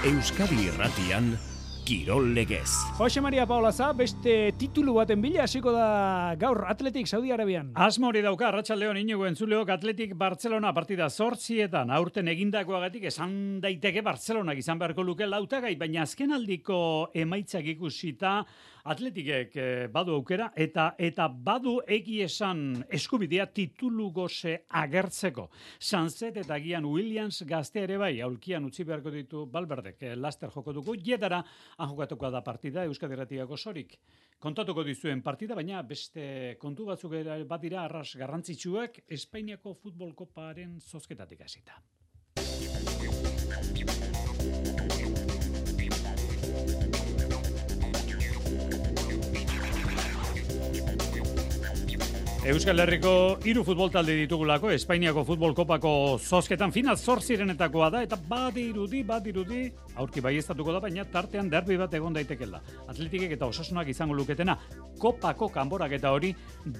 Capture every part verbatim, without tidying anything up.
Euskadi Irratian, Kirol Legez. Jose Maria Paulaza, beste titulu baten bila hasiko da gaur Atletik Saudi Arabian. Asmo hori dauka, Arratsaldeon inigo entzuleok, Atletik Barcelona partida zortzietan aurten egindakoagatik esan daiteke Barcelonak izan beharko luke lautagai, baina azkenaldiko emaitzak ikusita Atletikek eh, badu aukera eta eta badu egi esan eskubidea titulu goze agertzeko. Sanzet eta gian Williams gazte ere bai, aulkian utzi beharko ditu Balberdek, eh, laster joko dugu, jetara han jokatuko da partida Euskadi Irratiako sorik. Kontatuko dizuen partida, baina beste kontu batzuk ere bat dira arras garrantzitsuak Espainiako futbol koparen zozketatik hasita. Euskal Herriko hiru futbol talde ditugulako, Espainiako futbol kopako zozketan final zortzirenetakoa da, eta badirudi, badirudi, aurki baieztatuko da, baina tartean derbi bat egon daitekela. Atletikek eta Osasunak izango luketena, kopako kanborak eta hori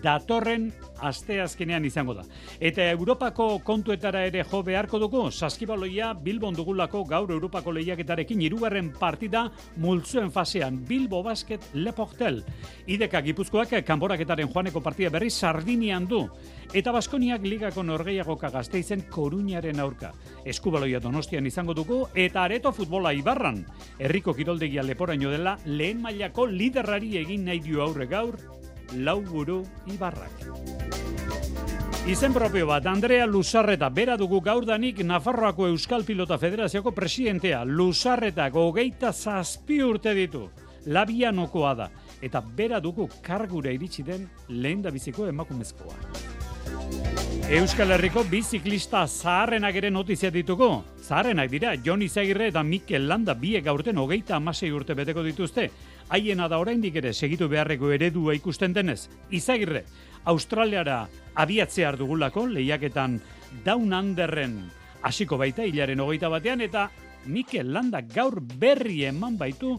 datorren asteazkenean izango da. Eta Europako kontuetara ere jo beharko dugu, saskibaloia Bilbon dugulako gaur Europako lehiaketarekin hirugarren partida multzuen fasean, Bilbo Basket Le Portel. Ideka Gipuzkoak kanboraketaren joaneko partida berri Sardinian du, eta Baskoniak ligako norgehiagoka Gasteizen Koruñaren aurka. Eskubaloia Donostian izango dugu, eta Areto futbola Ibarran. Herriko kiroldegia leporaino dela, lehen mailako liderrari egin nahi dio aurre gaur, lau buru Ibarrak. Izen propio bat, Andrea Lusarreta, bera dugu gaurdanik Nafarroako Euskal Pilota Federazioko presidentea. Lusarretak hogeita zazpi urte ditu, labianokoa da. Eta bera dugu kargura iritsi den lehen da biziko emakumezkoa. Euskal Herriko biziklista zaharrenak ere notizia ditugu. Zaharrenak dira, Jon Izagirre eta Mikel Landa biek aurten hogeita hamasei urte beteko dituzte. Haiena da oraindik ere segitu beharreko eredua ikusten denez. Izagirre, Australiara abiatzear dugulako, lehiaketan Down Underren hasiko baita hilaren hogeita batean, eta Mikel Landa gaur berri eman baitu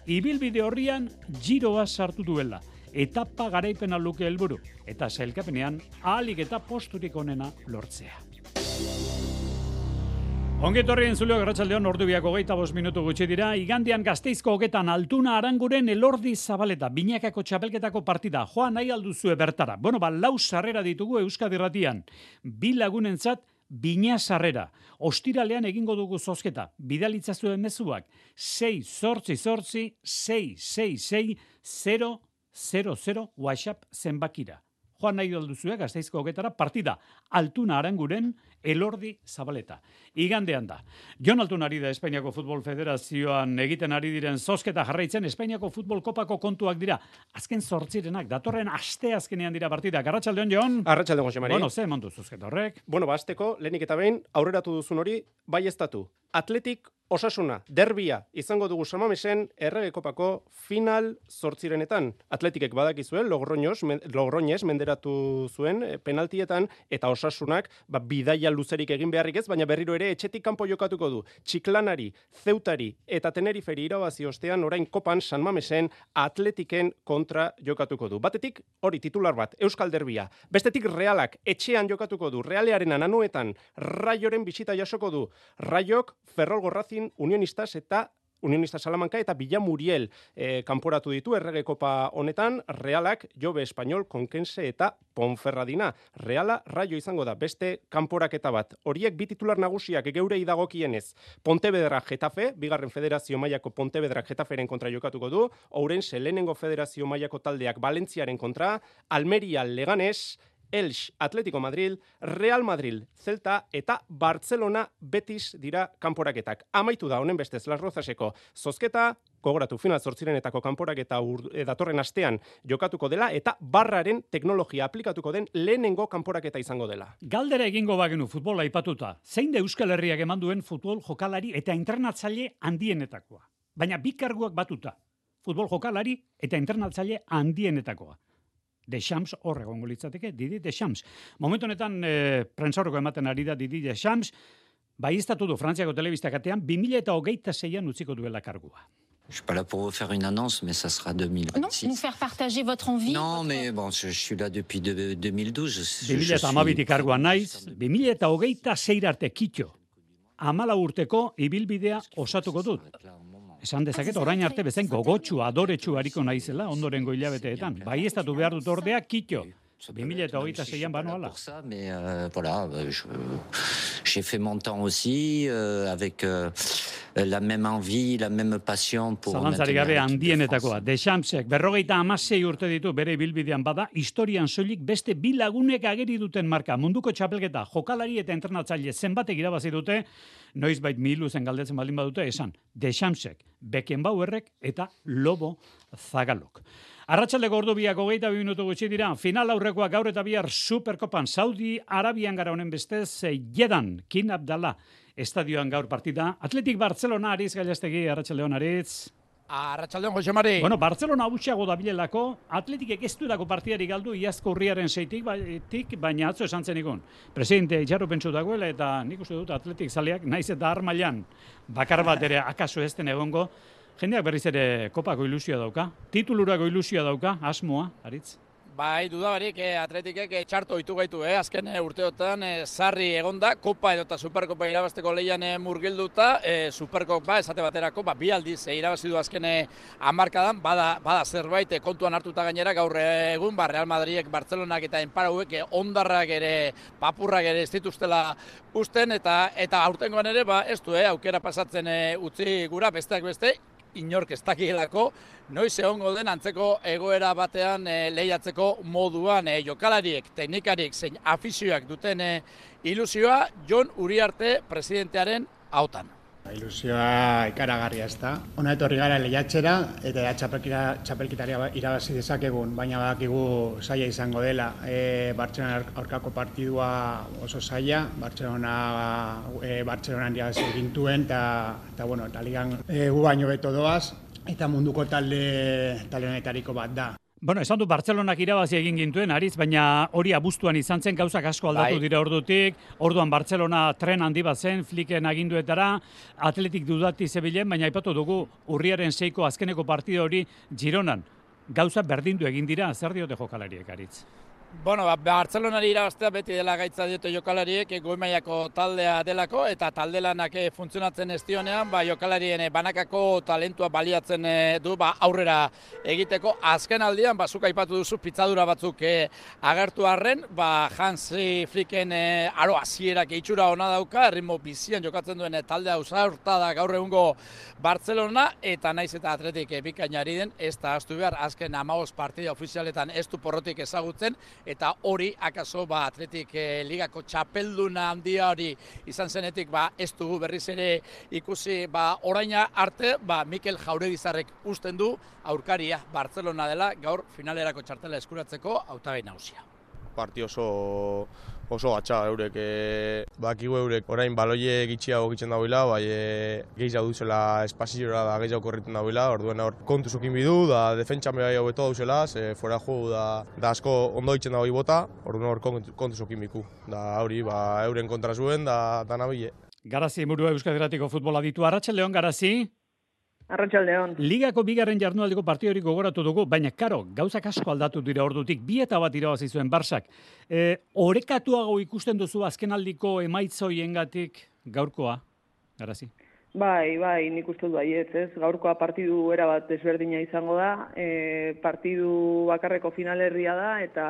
ibilbide horrian giroa sartu duela. Etapa garaipena luke helburu, eta sailkapenean ahalik eta posturik onena lortzea. Ongetorri entzuleok, Arratsaldeon, ordu biak hogeita bost minutu gutxi dira. Igandean Gasteizko hogetan Altuna Aranguren Elordi Zabaleta, binakako txapelketako partida. Joan nahi alduzue bertara. Bueno, ba, lau sarrera ditugu Euskadi Irratian. Bi lagunentzat bina sarrera. Ostiralean egingo dugu zozketa. Bidalitzazuen mezuak. sei zortzi zortzi sei sei sei zero zero zero WhatsApp zenbakira. Joan nahi alduzue Gasteizko hogetara partida Altuna Aranguren Elordi Zabaleta. Igandean da. Jon Altuna ari da Espainiako Futbol Federazioan egiten ari diren zozketa jarraitzen Espainiako Futbol Kopako kontuak dira. Azken zortzirenak, datorren aste azkenean dira partida. Arratsaldeon, Jon. Arratsaldeon, Jose Mari. Bueno, ze emandu zozketa horrek? Bueno, ba, hasteko, lehenik eta behin, aurreratu duzun hori, baieztatu. Atletik Osasuna, derbia, izango dugu Samamesen Errege Kopako final zortzirenetan. Atletikek badakizue, Logroños, men, Logroñez menderatu zuen penaltietan, eta Osasunak ba, bidaia luzerik egin beharrik ez, baina berriro ere etxetik kanpo jokatuko du. Txiklanari, Zeutari eta Teneriferi irabazi ostean orain Kopan San Mamesen Atletiken kontra jokatuko du. Batetik hori titular bat, Euskal Derbia. Bestetik Realak etxean jokatuko du. Realearen ananuetan Raioren bisita jasoko du. Raiok Ferrol Gorrazin Unionistas eta Unionista Salamanca eta Villamuriel eh, kanporatu ditu Errege Kopa honetan. Realak Jobe Espainol, Konkense eta Ponferradina. Reala Raio izango da beste kanporaketa bat. Horiek bi titular nagusiak geurei dagokienez. Pontevedra Getafe, bigarren federazio mailako Pontevedra Getaferen kontra jokatuko du. Ourense lehenengo federazio mailako taldeak Valentziaren kontra. Almeria Leganes, Elx, Atletico Madrid, Real Madrid, Celta eta Barcelona Betis dira kanporaketak. Amaitu da honen bestez Las Rozaseko zozketa, gogoratu final zortzirenetako kanporaketa datorren astean jokatuko dela eta barraren teknologia aplikatuko den lehenengo kanporaketa izango dela. Galdera egingo bagenu futbola aipatuta. Zein da Euskal Herriak eman duen futbol jokalari eta entrenatzaile handienetakoa? Baina bi karguak batuta. Futbol jokalari eta entrenatzaile handienetakoa. Deschamps hor egongo litzateke, Didi Deschamps. Momentu honetan e, prentsaurreko ematen ari da Didi Deschamps, baieztatu du Frantziako telebistakatean bi mila hogeita seian utziko duela kargua. Je suis pas là pour vous faire une annonce, mais ça sera deux mille vingt-six. Non, nous faire partager votre envie. Non, votre... mais bon, je, je suis là depuis de, deux mille douze. Je, bi mila hamabitik karguan naiz, bi mila hogeita sei arte kitxo. hamalau urteko ibilbidea osatuko dut. Esan dezaket, orain arte bezain gogotsu, adoretsu hariko naizela, ondorengo hilabeteetan. Bai ez datu behar dut ordea, kitxo. bi mila hogeita seian banoala. Mais euh, voilà, je, j'ai fait mon temps aussi euh, avec euh, la même envie, la même passion pour Zalantzari gabe handienetakoa. Deschamsek berrogeita hamasei urte ditu bere ibilbidean bada, historian soilik beste bi lagunek ageri duten marka. Munduko txapelketa, jokalari eta entrenatzaile zenbatek irabazi dute, noizbait miluzen galdetzen baldin badute, esan Deschamsek, Beckenbauerrek eta Lobo Zagalok. Arratsaldeko ordu biak hogeita bi minutu gutxi dira, final aurrekoak gaur eta bihar Superkopan Saudi Arabian gara honen bestez, Jedan, King Abdallah, estadioan gaur partida. Atletik Barcelona, Aritz Gailastegi, Arratsaldeon Aritz. Arratsaldeon Jose Mari. Bueno, Barcelona hutsago dabilelako, Atletikek ez duelako partidari galdu iazko urriaren seitik, baitik, baina atzo esan zenikon. Presidente itxarro pentsu dagoela eta nik uste dut Atletik zaleak, naiz eta armailan bakar bat ere akaso ez den egongo, jendeak berriz ere kopako ilusioa dauka, titulurako ilusioa dauka, asmoa, Aritz? Bai, dudabarik, eh, Atletikek eh, txarto ditu gaitu, eh, azken eh, urteotan eh, sarri egonda, Kopa edo eta Superkopa irabazteko leian eh, murgilduta, eh, Superkopa esate baterako, ba, bi aldiz eh, irabazi du azken eh, hamarkadan, bada, bada zerbait eh, kontuan hartuta gainera gaur eh, egun, ba, Real Madridek, Barcelonak eta Enparauek eh, ondarrak ere, papurrak ere ez dituztela usten, eta eta aurtengoan ere, ba, ez du, eh, aukera pasatzen eh, utzi gura, besteak beste, inork ez dakielako, noiz egongo den antzeko egoera batean e, lehiatzeko moduan e, jokalariek, teknikarik, zein afizioak duten e, ilusioa Jon Uriarte presidentearen hautan. Ilusioa ikaragarria ez da. Hona etorri gara lehiatxera eta txapelkitaria irabazi dezakegun, baina badakigu zaila izango dela. E, Bartzelona aurkako partidua oso zaila, Bartzelona e, Bartzelonan irabazi gintuen eta bueno, eta ligan e, gu baino beto doaz eta munduko talde talde honetariko bat da. Bueno, esan du Bartzelonak irabazi egin gintuen, Aritz, baina hori abuztuan izan zen, gauzak asko aldatu dira ordutik, orduan Bartzelona tren handi bat zen, Flicken aginduetara, Atletik dudati zebilen, baina aipatu dugu urriaren seiko azkeneko partida hori Gironan. Gauza berdindu egin dira, zer diote jokalariek, Aritz? Bueno, ba, Bartzelonari irabaztea beti dela gaitza diote jokalariek, goi mailako taldea delako, eta taldelanak funtzionatzen ez dionean, ba, jokalarien banakako talentua baliatzen du ba, aurrera egiteko. Azken aldian, ba, zuk aipatu duzu pitzadura batzuk eh, agertu arren, ba, Hansi Flicken eh, aro hasierak itxura ona dauka, erritmo bizian jokatzen duen taldea usaurta da gaur egungo Bartzelona, eta naiz eta Atletik eh, bikainari den, ez da ahaztu behar, azken hamabost partida ofizialetan ez du porrotik ezagutzen, eta hori akaso ba, Atletik eh, ligako txapelduna handia hori izan zenetik ba, ez dugu berriz ere ikusi ba, oraina arte ba, Mikel Jauregizarrek usten du aurkaria Bartzelona dela gaur finalerako txartela eskuratzeko hautagai nagusia. Parti oso oso gatsa eurek e, bakigu eurek orain baloie gitxiago gitzen dagoela, bai e, gehiago duzela espaziora da gehiago korriten dagoela, orduen hor kontu zukin bidu, da defentsa bai hau beto dauzela, ze fuera jugu da, da asko ondo ditzen dago bota, orduen hor kontu zukin biku, da hori ba, euren kontra zuen, da, da nabile. Garazi Murua Euskal Herratiko futbola ditu, Arratsaldeon Garazi. Arratsaldeon. Ligako bigarren jardunaldiko partidori gogoratu dugu, baina karo, gauzak asko aldatu dira ordutik, bi eta bat irabazi zuen Barsak. E, orekatuago ikusten duzu azkenaldiko emaitzoiengatik gaurkoa, Garazi? Bai, bai, nik uste du baietz, ez? Gaurkoa partidu erabat desberdina izango da, e, partidu bakarreko finalerria da, eta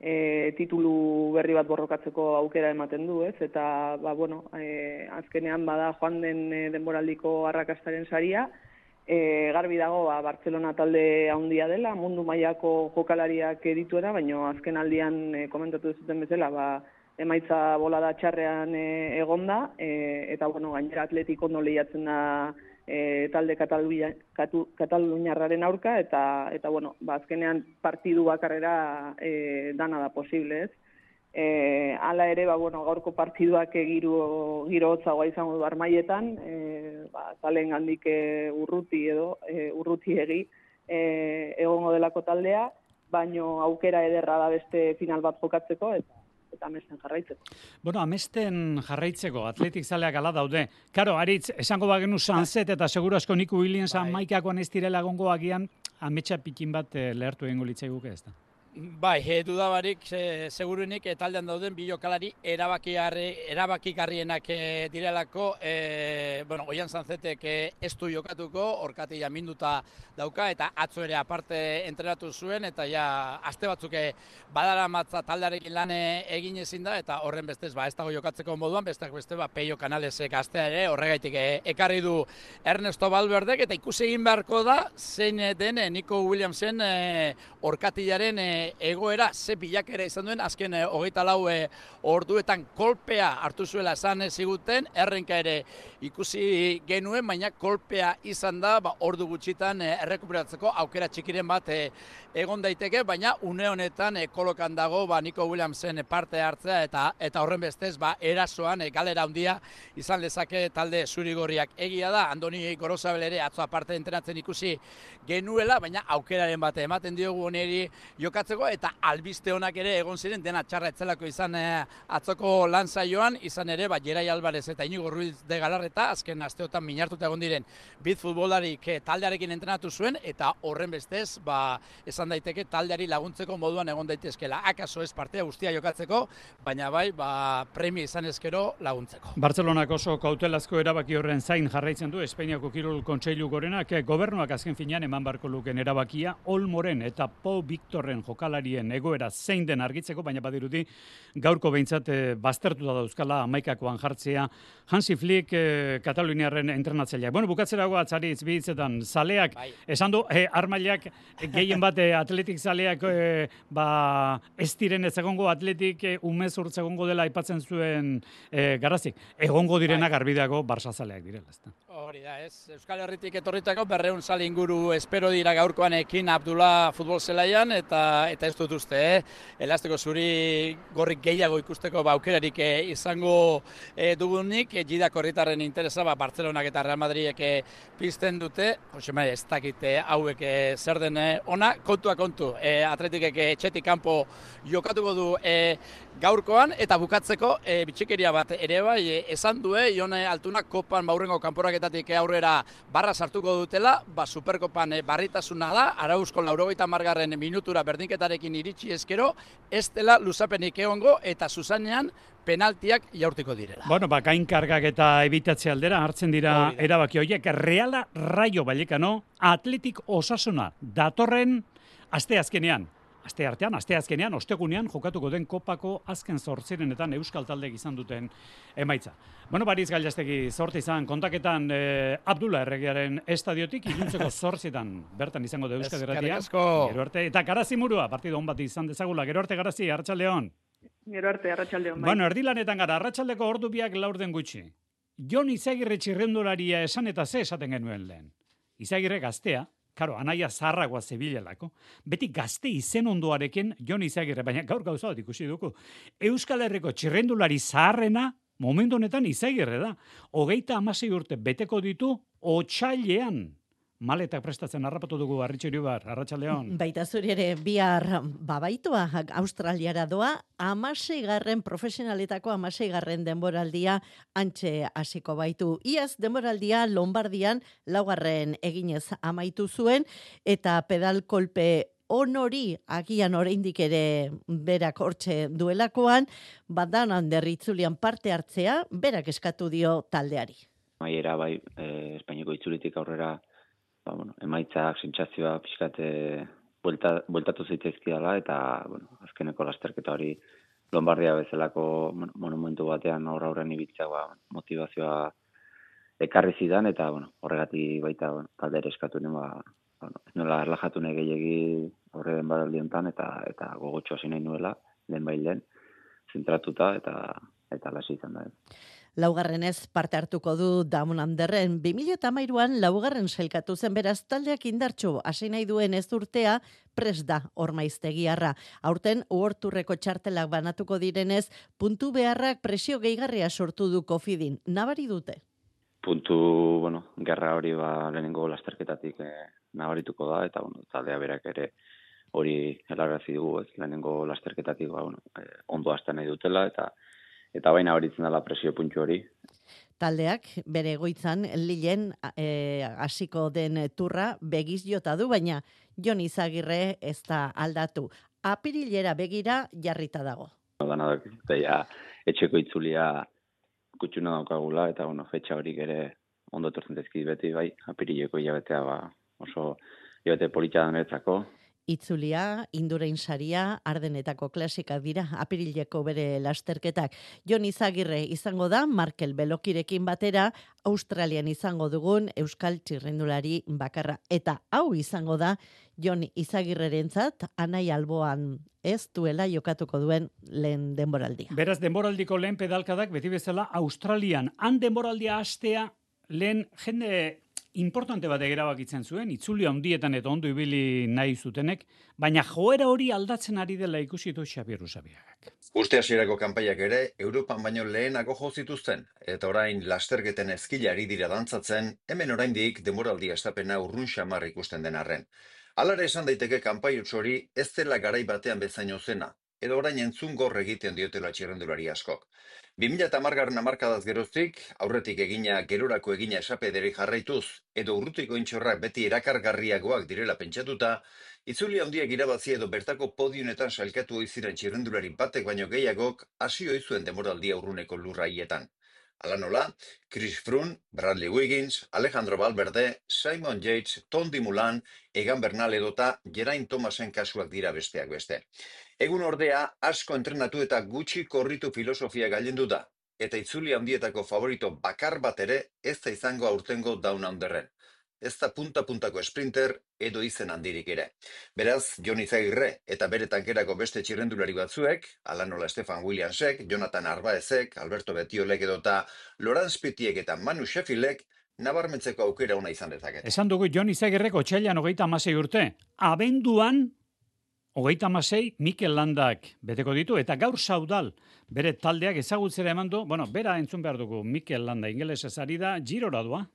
e, titulu berri bat borrokatzeko aukera ematen du, ez? Eta, ba, bueno, e, azkenean bada joan den e, denboraldiko arrakastaren saria, e, garbi dago, ba, Bartzelona talde handia dela, mundu mailako jokalariak dituena, baina azken aldian e, komentatu duzuten bezala, ba, emaitza bolada txarrean e, egonda, e, eta, bueno, gainera Atletik ondo lehiatzen da E, talde Kataluniarraren aurka, eta, eta bueno, ba, azkenean partidu bakarrera e, dana da posible, ez? E, hala ere, ba, bueno, gaurko partiduak giro, giro hotzagoa izango du armaietan, e, ba, talen gandik e, urruti edo, e, urruti egi e, egongo delako taldea, baino aukera ederra da beste final bat jokatzeko, eta eta amesten jarraitzeko. Bueno, amesten jarraitzeko, Atletik zaleak ala daude. Karo, Aritz, esango bagenu Sanzet eta seguru asko Niku Williams bai. Maikakoan ez direla gongo agian, ametsa pikin bat eh, lehertu egingo litzaiguke ez da? Bai, e, dudabarik, e, segurunik, e, taldean dauden bi jokalari erabakigarrienak e, direlako, e, bueno, Oian Sanzetek e, ez du jokatuko, orkati jaminduta dauka, eta atzo ere aparte entrenatu zuen, eta ja, aste batzuk badara matza taldearekin lan egin ezin da, eta horren bestez, ba, ez dago jokatzeko moduan, besteak beste, ba, Peio Canalesek astea ere, horregaitik e, ekarri du Ernesto Valverdek, eta ikusi egin beharko da, zein den e, Nico Williamsen e, orkatillaren e, egoera ze bilakera izan duen, azken e, hogeita lau e, orduetan kolpea hartu zuela esan ziguten, errenka ere ikusi genuen, baina kolpea izan da, ba, ordu gutxitan e, errekuperatzeko aukera txikiren bat e, egon daiteke, baina une honetan e, kolokan dago ba, Nico Williamsen parte hartzea, eta eta horren bestez, ba, erasoan e, galera handia izan lezake talde zurigorriak. Egia da, Andoni Gorosabel ere atzo aparte entrenatzen ikusi genuela, baina aukeraren bat ematen diogu oneri jokatzeko, eta albiste honak ere egon ziren, dena txarra etzelako izan e, atzoko lan saioan, izan ere, ba, Jerai Alvarez eta Inigo Ruiz de Galarreta, azken asteotan minartuta egon diren bit futbolarik e, taldearekin entrenatu zuen, eta horren bestez, ba, esan daiteke taldeari laguntzeko moduan egon daitezkela. Akaso ez partea guztia jokatzeko, baina bai, ba, premia izan ezkero laguntzeko. Bartzelonak oso kautelazko erabaki horren zain jarraitzen du Espainiako Kirol Kontseilu Gorenak, gobernuak azken finean eman barko luken erabakia Olmoren eta Pau Victorren jokalarien egoera zein den argitzeko, baina badirudi gaurko behintzat e, baztertuta dauzkala hamaikakoan jartzea Hansi Flick e, Kataluniarren entrenatzaileak. Bueno, bukatzerago atzaritz bihitzetan zaleak, bai. Esan du, e, armailak e, gehien bat e, atletik zaleak e, ba, ez diren ez egongo atletik e, umez urtz egongo dela aipatzen zuen e, Garazik. Egongo direnak bai. Arbidago Barça zaleak direla. Ezta. Hori da, ez. Euskal Herritik etorritako berreun zale inguru espero dira gaurkoan ekin Abdullah futbol zelaian, eta eta ez dut uste, eh? Elasteko zuri gorrik gehiago ikusteko ba, aukerarik eh, izango eh, dugunik, eh, Gidak horritarren interesa, ba, Bartzelonak eta Real Madridek eh, pizten dute, Josema, ez dakite hauek eh, zer den eh, ona, kontua kontu, eh, atletikek eh, etxetik kanpo jokatuko du eh, gaurkoan, eta bukatzeko eh, bitxikeria bat ere bai, eh, esan du, eh, Ione Altunak kopan baurrengo kanporaketatik aurrera barra sartuko dutela, ba, Superkopan eh, barritasuna da, Arauzko laurogeita margarren minutura berdinketarekin iritsi ezkero, ez dela luzapenik egongo eta zuzanean penaltiak jaurtiko direla. Bueno, ba, gainkargak eta ebitatze aldera hartzen dira erabaki horiek. Reala Rayo Vallecano, Atletik Osasuna datorren aste azkenean. Aste artean, aste azkenean, ostegunean jokatuko den kopako azken zortzirenetan euskal taldeek izan duten emaitza. Bueno, Bariz Gailastegi zorte izan kontaketan eh, Abdullah Erregearen estadiotik, iluntzeko zortzietan bertan izango da Euskal Herria. Gero arte, eta Garazimurua, partido on bat izan dezagula. Gero arte Garazi, Arratsaldeon. Gero arte, Arratsaldeon. Bai. Bueno, erdilanetan gara, arratsaldeko ordu biak laur den gutxi. Jon Izagirre txirrendularia esan eta ze esaten genuen lehen. Izagirre gaztea, karo, anaia zaharragoa zebilelako, beti gazte izen ondoarekin Jon Izagirre, baina gaur gauza bat ikusi dugu. Euskal Herriko txirrendulari zaharrena, momentu honetan Izagirre da. Hogeita hamasei urte beteko ditu otsailean. Maletak prestatzen harrapatu dugu Arritxuri bar, Arratsaldeon. Baita zuri ere bihar babaitua Australiara doa, hamaseigarren profesionaletako hamaseigarren denboraldia antxe hasiko baitu. Iaz denboraldia Lombardian laugarren eginez amaitu zuen eta pedal kolpe onori agian oraindik ere berak hortxe duelakoan, badan handerritzulian parte hartzea, berak eskatu dio taldeari. Maiera bai, eh, Espainiako itzulitik aurrera ba, bueno, emaitzak, sentsazioa pixkate buelta, bueltatu zitzaizkidala, eta bueno, azkeneko lasterketa hori Lombardia bezalako bueno, monumentu batean aurra aurren ibiltzea ba, motivazioa ekarri zidan, eta bueno, horregatik baita bueno, talde ere eskatu nuen, ba, bueno, ez nola erlajatu nahi gehiagi horre den badaldi honetan, eta, eta gogotxo hasi nahi nuela, lehen bai lehen, zentratuta, eta, eta lasi izan da. Laugarrenez parte hartuko du Damon Anderren. bi mila hamairuan laugarren sailkatu zen, beraz taldeak indartsu hasi nahi duen ez urtea prest da Ormaiztegiarra. Aurten uhorturreko txartelak banatuko direnez, puntu beharrak presio gehigarria sortu du Kofidin. Nabari dute? Puntu, bueno, gerra hori ba lehenengo lasterketatik eh, nabarituko da, eta bueno, taldea berak ere hori helarazi dugu, ez lehenengo lasterketatik ba, bueno, eh, ondo hasten nahi dutela, eta eta baina horitzen dela presio puntu hori. Taldeak bere egoitzan Lilen hasiko e, den turra begiz jota du, baina Jon Izagirre ez da aldatu. apirilera begira jarrita dago. Dana da, ja, etxeko itzulia kutxuna daukagula, eta bueno, fetxa horik ere ondo etortzen zaizkit beti, bai, apirileko hilabetea ba, oso hilabete polita danetzako. Itzulia, Indurain saria, Ardenetako klasikak dira, apirileko bere lasterketak. Jon Izagirre izango da, Markel Belokirekin batera, Australian izango dugun Euskal Txirrindulari bakarra. Eta hau izango da, Jon Izagirrerentzat, Anai Alboan ez duela jokatuko duen lehen denboraldia. Beraz, denboraldiko lehen pedalkadak beti bezala Australian. Han denboraldia hastea lehen jende importante bat erabakitzen zuen, itzuli handietan eta ondo ibili nahi zutenek, baina joera hori aldatzen ari dela ikusi du Xabier Usabiagak. Urte hasierako kanpaiak ere Europan baino lehenako jo zituzten, eta orain lasterketen ezkila ari dira dantzatzen, hemen oraindik denboraldi estapena urrun xamar ikusten den arren. Alare esan daiteke kanpai hori ez dela garai batean bezaino zena, edo orain entzun gor egiten diotela txirrendulari askok. bi mila hamargarren hamarkadaz geroztik, aurretik egina gerorako egina esapederi jarraituz, edo urrutiko intxorrak beti erakargarriagoak direla pentsatuta, itzuli handiak irabazi edo bertako podiunetan sailkatu oiziren txirrendulari batek baino gehiagok hasi oizuen demoraldia urruneko lurraietan. Hala nola, Chris Froome, Bradley Wiggins, Alejandro Valverde, Simon Yates, Tondi Mulan, Egan Bernal edota Geraint Thomasen kasuak dira besteak beste. Egun ordea, asko entrenatu eta gutxi korritu filosofia gailendu da, eta itzuli handietako favorito bakar bat ere ez da izango aurtengo Down Underren. Ez da punta-puntako sprinter edo izen handirik ere. Beraz, Jon Izagirre eta bere tankerako beste txirrendulari batzuek, ala nola Stefan Williamsek, Jonathan Arbaezek, Alberto Betiolek edota Laurence Pitiek eta Manu Sheffieldek nabarmentzeko aukera ona izan dezakete. Esan dugu Jon Izagirrek otsailean hogeita hamasei urte. Abenduan hogeita hamasei Mikel Landak beteko ditu, eta gaur Saudal bere taldeak ezagutzera eman du, bueno, bera entzun behar dugu Mikel Landa ingelesez ari da, Girora doa.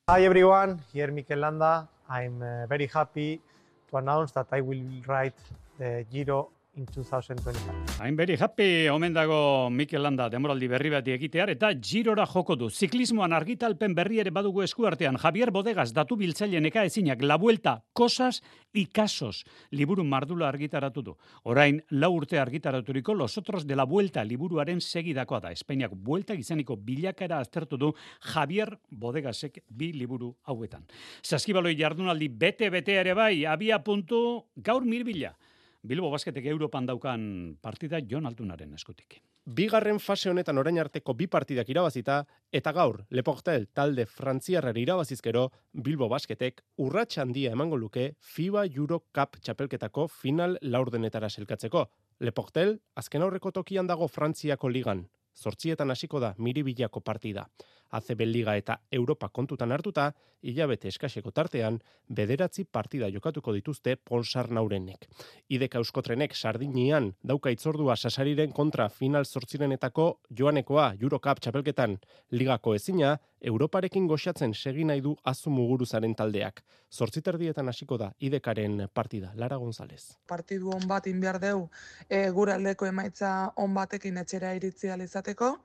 Hi everyone, here Mikel Landa. I'm uh, very happy to announce that I will ride the Giro in two thousand twenty-five. I'm very happy, omen dago Mikel Landa demoraldi berri bati ekitear, eta Girora joko du. Ziklismoan argitalpen berri ere badugu eskuartean. Javier Bodegas datu biltzaile neka ezinak, La Vuelta, Cosas y Casos, liburu mardula argitaratu du. Orain, lau urte argitaraturiko Los Otros de la Vuelta liburuaren segidakoa da. Espainiak Vuelta izaniko bilakaera aztertu du Javier Bodegasek bi liburu hauetan. Saskibaloi jardunaldi bete-bete ere bai, abia puntu gaur mirbila. Bilbo Basketek Europan daukan partida Jon Altunaren eskutik. Bigarren fase honetan orain arteko bi partidak irabazita, eta gaur Le Portel talde frantziarrari irabazizkero, Bilbo Basketek urrats handia emango luke FIBA Euro Cup txapelketako final laurdenetara selkatzeko. Le Portel azken aurreko tokian dago Frantziako ligan. Zortzietan hasiko da Miribillako partida. A C B Liga eta Europa kontutan hartuta, hilabete eskaseko tartean, bederatzi partida jokatuko dituzte Ponsarnaurenek. Ideka Euskotrenek Sardinian dauka itzordua Sasariren kontra final zortzirenetako joanekoa Eurocup txapelketan ligako ezina, Europarekin goxatzen segi nahi du Azu Muguruzaren taldeak. Zortziterdietan hasiko da Idekaren partida. Lara González. Partidu on bat inbiar deu, e, gure aldeko emaitza on batekin etxera iritzi izateko.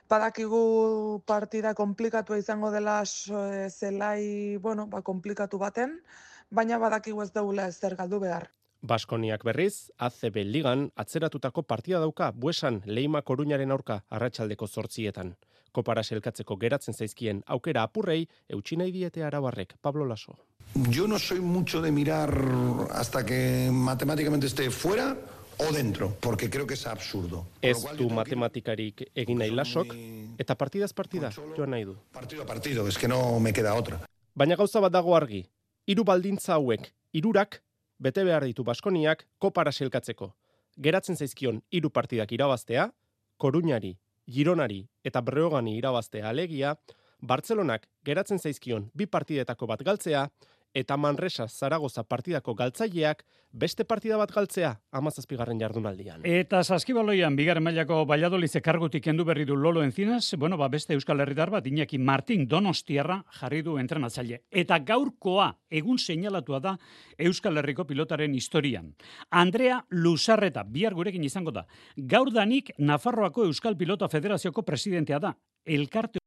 Badakigu partida komplikatua izango dela zelai, bueno, ba, komplikatu baten, baina badakigu ez daula ezer galdu behar. Baskoniak berriz, A C B Ligan atzeratutako partida dauka Buesan Leima Koruñaren aurka arratsaldeko zortzietan. Kopara selkatzeko geratzen zaizkien aukera apurrei, eutsi nahi diete arabarrek. Pablo Laso. Yo no soy mucho de mirar hasta que matemáticamente esté fuera o dentro, porque creo que es absurdo. Ez du matematikarik egin nahi Lasok, eta partidaz partida joan nahi du. Partido a partido, es que no me queda otra. Baina gauza bat dago argi, hiru baldintza hauek, hirurak bete behar ditu Baskoniak kopara selkatzeko. Geratzen zaizkion hiru partidak irabaztea, Koruñari, Gironari eta Breogani irabaztea alegia, Bartzelonak geratzen zaizkion bi partidetako bat galtzea, eta Manresa Zaragoza partidako galtzaileak beste partida bat galtzea hamazazpigarren jardunaldian. Eta saskibaloian bigarren mailako Valladolid kargutik kendu berri du Lolo Encinas, bueno, ba beste Euskal Herritar bat Iñaki Martin Donostiarra jarri du entrenatzaile. Eta gaurkoa egun seinalatua da Euskal Herriko pilotaren historian. Andrea Luzarreta bihar gurekin izango da. Gaurdanik Nafarroako Euskal Pilota Federazioko presidentea da. Elkarte